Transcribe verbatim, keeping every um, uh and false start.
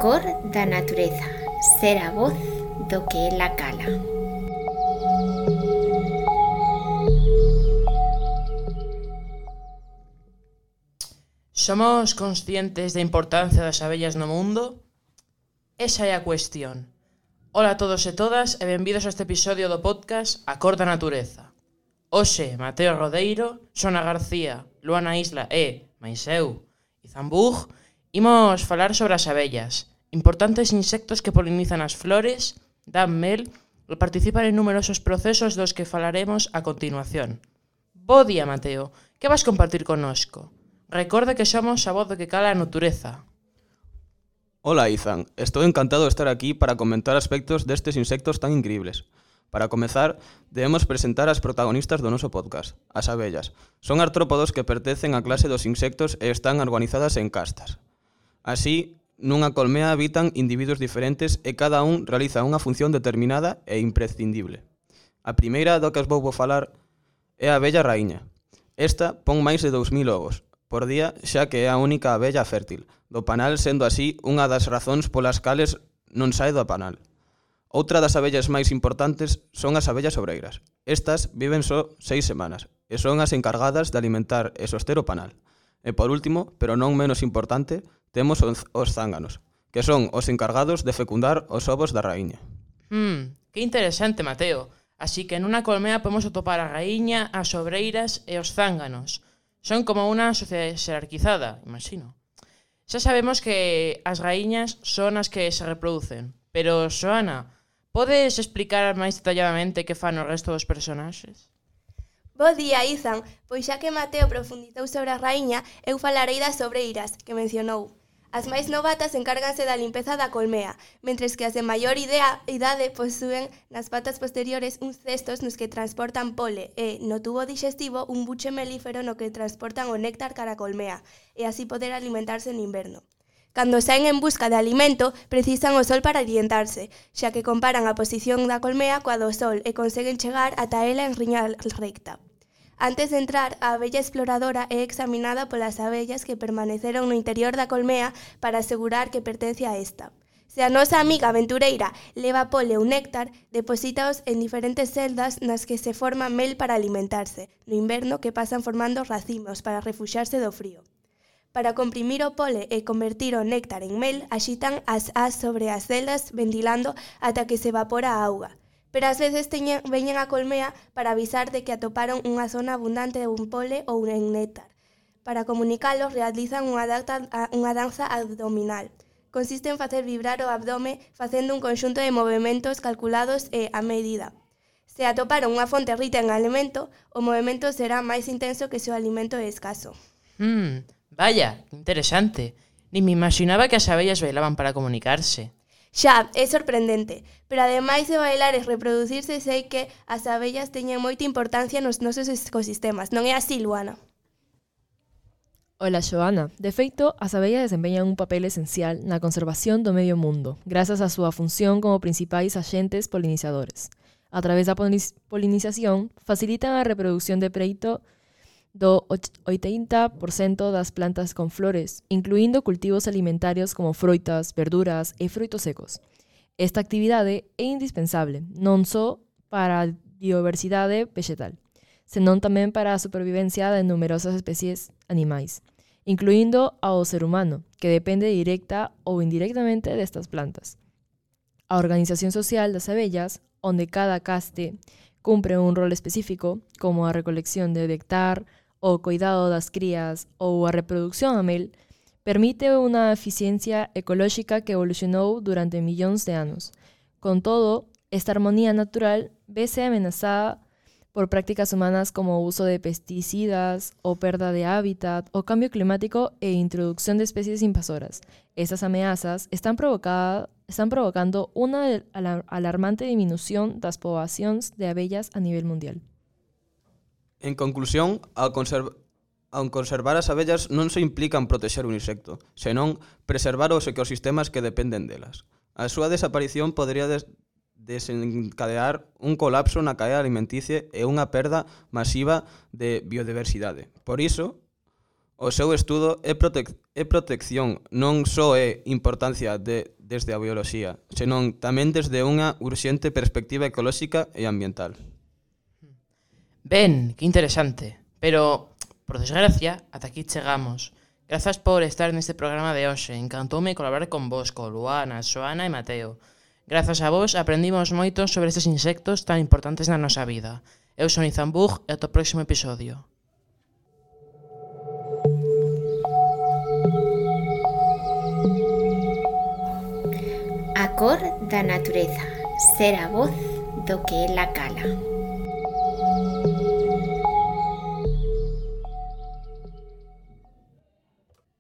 cor da natureza, ser a voz do que ela cala. Somos conscientes da importancia das abellas no mundo? Esa é a cuestión. Ola a todos e todas e benvidos a este episodio do podcast A Cor da Natureza. Hoxe, Mateo Rodeiro, Sona García, Luana Isla e, mais eu, Izan Bug, imos falar sobre as abellas, importantes insectos que polinizan as flores, dan mel e participan en numerosos procesos dos que falaremos a continuación. Bo día, Mateo, que vas compartir connosco? Recorda que somos a voz do que cala a natureza. Hola, Izan. Estou encantado de estar aquí para comentar aspectos destes insectos tan increíbles. Para comezar, debemos presentar as protagonistas do noso podcast, as abellas. Son artrópodos que pertencen á clase dos insectos e están organizadas en castas. Así, nunha colmea habitan individuos diferentes e cada un realiza unha función determinada e imprescindible. A primeira do que os vou falar é a abella raíña. Esta pon máis de dous mil ovos por día, xa que é a única abella fértil do panal, sendo así unha das razóns polas cales non sae do panal. Outra das abellas máis importantes son as abellas obreiras. Estas viven só seis semanas e son as encargadas de alimentar e soster o panal. E por último, pero non menos importante, temos os, os zánganos, que son os encargados de fecundar os ovos da raíña. Hmm, que interesante, Mateo. Así que nunha colmea podemos atopar a raíña, as obreiras e os zánganos. Son como unha sociedade xerarquizada, imagino. Xa sabemos que as raíñas son as que se reproducen, pero, Xoana, podes explicar máis detalladamente que fan o resto dos personaxes? Bo día, Izan. Pois xa que Mateo profundizou sobre a raíña, eu falarei das obreiras, que mencionou. As máis novatas encárganse da limpeza da colmea, mentres que as de maior idea, idade posúen nas patas posteriores uns cestos nos que transportan pole e, no tubo dixestivo, un buche melífero no que transportan o néctar cara a colmea, e así poder alimentarse no inverno. Cando saen en busca de alimento, precisan o sol para orientarse, xa que comparan a posición da colmea coa do sol e conseguen chegar ata ela en riña recta. Antes de entrar, a abella exploradora é examinada polas abellas que permaneceron no interior da colmea para asegurar que pertence a esta. Se a nosa amiga aventureira leva pole ou néctar, deposítaos en diferentes celdas nas que se forma mel para alimentarse, no inverno que pasan formando racimos para refuxarse do frío. Para comprimir o pole e convertir o néctar en mel, axitan as as sobre as celdas ventilando ata que se evapora a auga. Pero ás veces teñen, veñen a colmea para avisar de que atoparon unha zona abundante de un pole ou un néctar. Para comunicalos, realizan unha danza, unha danza abdominal. Consiste en facer vibrar o abdome facendo un conxunto de movementos calculados e a medida. Se atoparon unha fonte rica en alimento, o movimento será máis intenso que se o alimento é escaso. Hmm, vaya, interesante. Ni me imaginaba que as abellas bailaban para comunicarse. Xa, é sorprendente, pero ademais de bailar e reproducirse, sei que as abellas teñen moita importancia nos nosos ecosistemas, non é así, Luana? Ola, Xoana. De feito, as abellas desempeñan un papel esencial na conservación do medio mundo, grazas á súa función como principais axentes polinizadores. A través da polinización, facilitan a reproducción de preito do oitenta por cento das plantas con flores, incluindo cultivos alimentarios como froitas, verduras e frutos secos. Esta actividade é indispensable, non só para a diversidade vegetal, senón tamén para a supervivencia de numerosas especies animais, incluindo ao ser humano, que depende directa ou indirectamente destas plantas. A organización social das abellas, onde cada caste cumpre un rol específico, como a recolección de néctar, o cuidado das crías ou a reproducción a mel, permite unha eficiencia ecolóxica que evolucionou durante millóns de anos. Con todo, esta armonía natural vese amenazada por prácticas humanas como o uso de pesticidas, o perda de hábitat, o cambio climático e introducción de especies invasoras. Estas amenazas están, provocada, están provocando unha alarmante disminución das poboacións de abellas a nivel mundial. En conclusión, ao, conserv- ao conservar as abellas non se implica en protexer un insecto, senón preservar os ecosistemas que dependen delas. A súa desaparición podría des- desencadear un colapso na cadea alimenticia e unha perda masiva de biodiversidade. Por iso, O seu estudo é, protec é protección, non só é importancia de, desde a bioloxía, senón tamén desde unha urxente perspectiva ecolóxica e ambiental. Ben, que interesante. Pero, por desgracia, ata aquí chegamos. Grazas por estar neste programa de hoxe. Encantoume colaborar con vos, con Luana, Xoana e Mateo. Grazas a vos aprendimos moito sobre estes insectos tan importantes na nosa vida. Eu son Izan Bug e ata o próximo episodio. A cor da natureza, ser a voz do que ela cala.